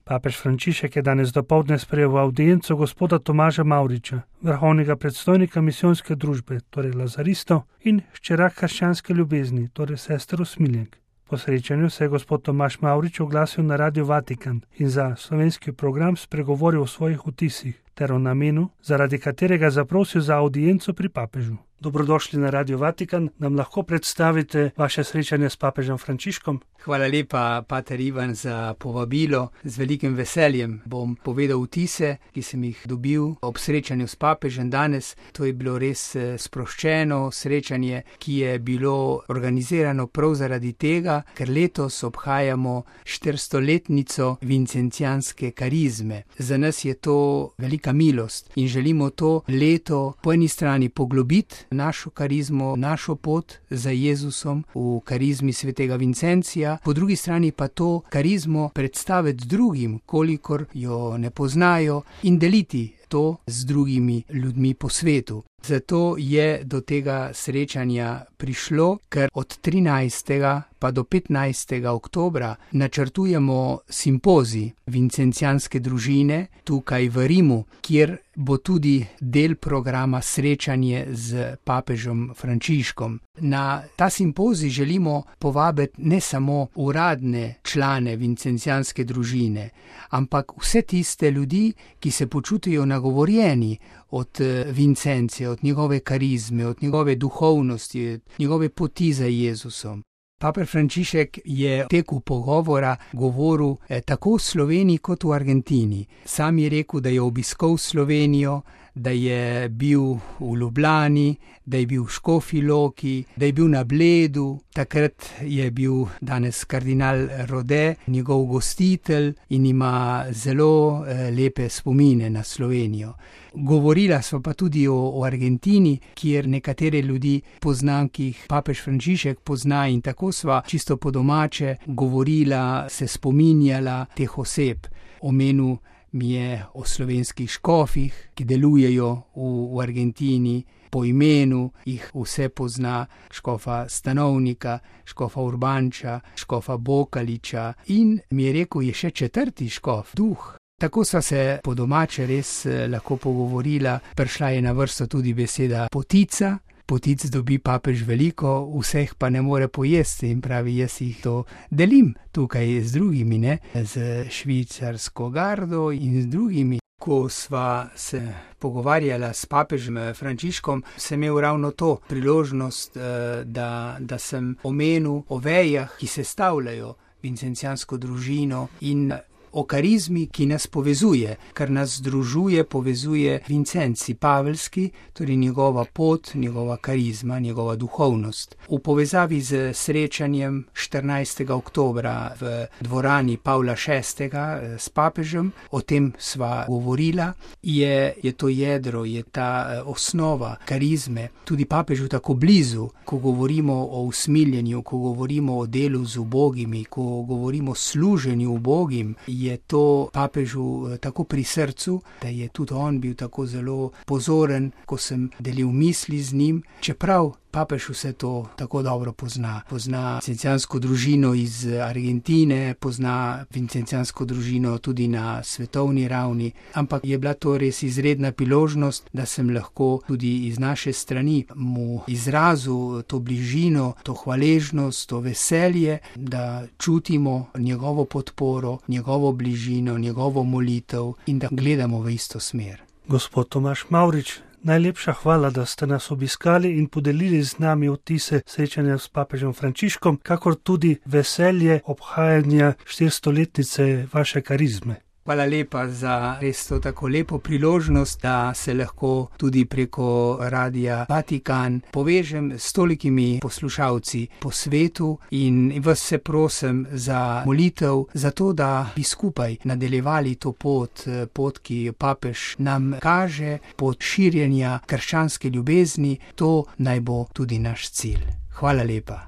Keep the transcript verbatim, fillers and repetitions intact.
Papež Frančišek je danes dopoldne sprejel v avdienco gospoda Tomaža Mavriča, vrhovnega predstojnika misijonske družbe, torej Lazaristov, in hčera krščanske ljubezni, torej sester Usmiljenk. Po srečanju se je gospod Tomaž Mavrič oglasil na Radio Vatikan in za slovenski program spregovoril o svojih vtisih ter o namenu, zaradi katerega zaprosil za avdienco pri papežu. Dobrodošli na Radio Vatikan, nam lahko predstavite vaše srečanje s papežem Frančiškom? Hvala lepa, pater Ivan, za povabilo. Z velikim veseljem bom povedal vtise, ki sem jih dobil ob srečanju s papežem danes. To je bilo res sproščeno srečanje, ki je bilo organizirano prav zaradi tega, ker letos obhajamo štiristoletnico vincencijanske karizme. Za nas je to velika milost in želimo to leto po eni strani poglobiti našo karizmo, našo pot za Jezusom v karizmi svetega Vincencija, po drugi strani pa to karizmo predstaviti drugim, kolikor jo ne poznajo, in deliti to z drugimi ljudmi po svetu. Zato je do tega srečanja prišlo, ker od trinajstega pa do petnajstega oktobra načrtujemo simpozij vincencijanske družine tukaj v Rimu, kjer bo tudi del programa srečanje z papežem Frančiškom. Na ta simpozij želimo povabiti ne samo uradne člane vincencijanske družine, ampak vse tiste ljudi, ki se počutijo nagovorjeni od Vincencija, od njegove karizme, od njegove duhovnosti, od njegove poti za Jezusom. Papež Frančišek je v teku pogovora govoril eh, tako v Sloveniji kot v Argentini. Sam je rekel, da je obiskal Slovenijo, da je bil v Ljubljani, da je bil v Škofji Loki, da je bil na Bledu. Takrat je bil danes kardinal Rode, njegov gostitelj, in ima zelo eh, lepe spomine na Slovenijo. Govorila sva pa tudi o, o Argentini, kjer nekatere ljudi poznam, ki jih papež Frančišek pozna, in tako sva čisto po domače govorila, se spominjala teh oseb. Omenil mi je o slovenskih škofih, ki delujejo v, v Argentini, po imenu jih vse pozna, škofa Stanovnika, škofa Urbanča, škofa Bokaliča, in mi je rekel, je še četrti škof, Duh. Tako sva se po domače res lahko pogovorila, prišla je na vrsto tudi beseda potica. Potic dobi papež veliko, vseh pa ne more pojesti, in pravi, jaz jih to delim tukaj z drugimi, ne, z švicarsko gardo in z drugimi. Ko sva se pogovarjala s papežem Frančiškom, sem imel ravno to priložnost, da, da sem omenil o vejah, ki sestavljajo vincencijansko družino, in o karizmi, ki nas povezuje, kar nas združuje, povezuje Vincenci Pavelski, torej njegova pot, njegova karizma, njegova duhovnost. V povezavi z srečanjem štirinajstega oktobra v dvorani Pavla šestega s papežem, o tem sva govorila, je, je to jedro, je ta osnova karizme, tudi papežu tako blizu, ko govorimo o usmiljenju, ko govorimo o delu z ubogimi, ko govorimo o služenju ubogim, je to papežu tako pri srcu, da je tudi on bil tako zelo pozoren, ko sem delil misli z njim, čeprav papež vse to tako dobro pozna. Pozna vincencijansko družino iz Argentine, pozna vincencijansko družino tudi na svetovni ravni, ampak je bila to res izredna priložnost, da sem lahko tudi iz naše strani mu izrazil to bližino, to hvaležnost, to veselje, da čutimo njegovo podporo, njegovo bližino, njegovo molitev in da gledamo v isto smer. Gospod Tomaž Mavrič, najlepša hvala, da ste nas obiskali in podelili z nami vtise srečanja s papežem Frančiškom, kakor tudi veselje obhajanja štiristoletnice vaše karizme. Hvala lepa za res to tako lepo priložnost, da se lahko tudi preko Radia Vatikan povežem s tolikimi poslušalci po svetu, in vas se prosim za molitev, za to, da bi skupaj nadaljevali to pot, pot, ki papež nam kaže, pot širjenja krščanske ljubezni. To naj bo tudi naš cilj. Hvala lepa.